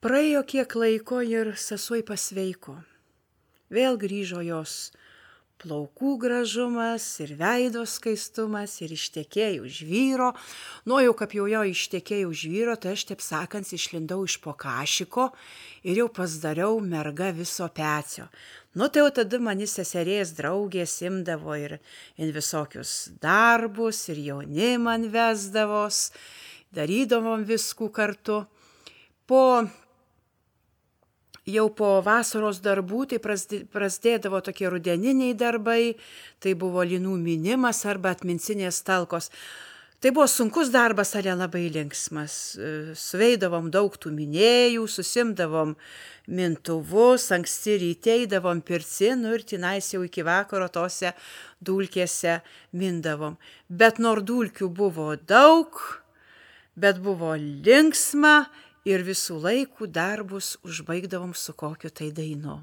Praėjo kiek laiko ir sesuo pasveiko. Vėl grįžo jos plaukų gražumas ir veido skaistumas ir ištekėjo už vyro. Nu, jau kaip jau jo ištekėjo už vyro, tai aš, taip sakant, išlindau iš po kašiko ir jau pasidariau merga viso pecio. Nu, tai jau tada mani seserės draugės imdavo ir visokius darbus ir jaunimą vesdavos, darydavom viskų kartu. Jau po vasaros darbų tai prasidėdavo tokie rudeniniai darbai, tai buvo linų mynimas arba atmincinės talkos. Tai buvo sunkus darbas, ale labai linksmas. Suveidavom daug tų minėjų, susimdavom mintuvus, anksti ryte eidavom pirtin, ir tenais jau iki vakaro tose dulkėse mindavom. Bet nors dulkių buvo daug, bet buvo linksma. Ir visų laikų darbus užbaigdavom su kokiu tai dainu.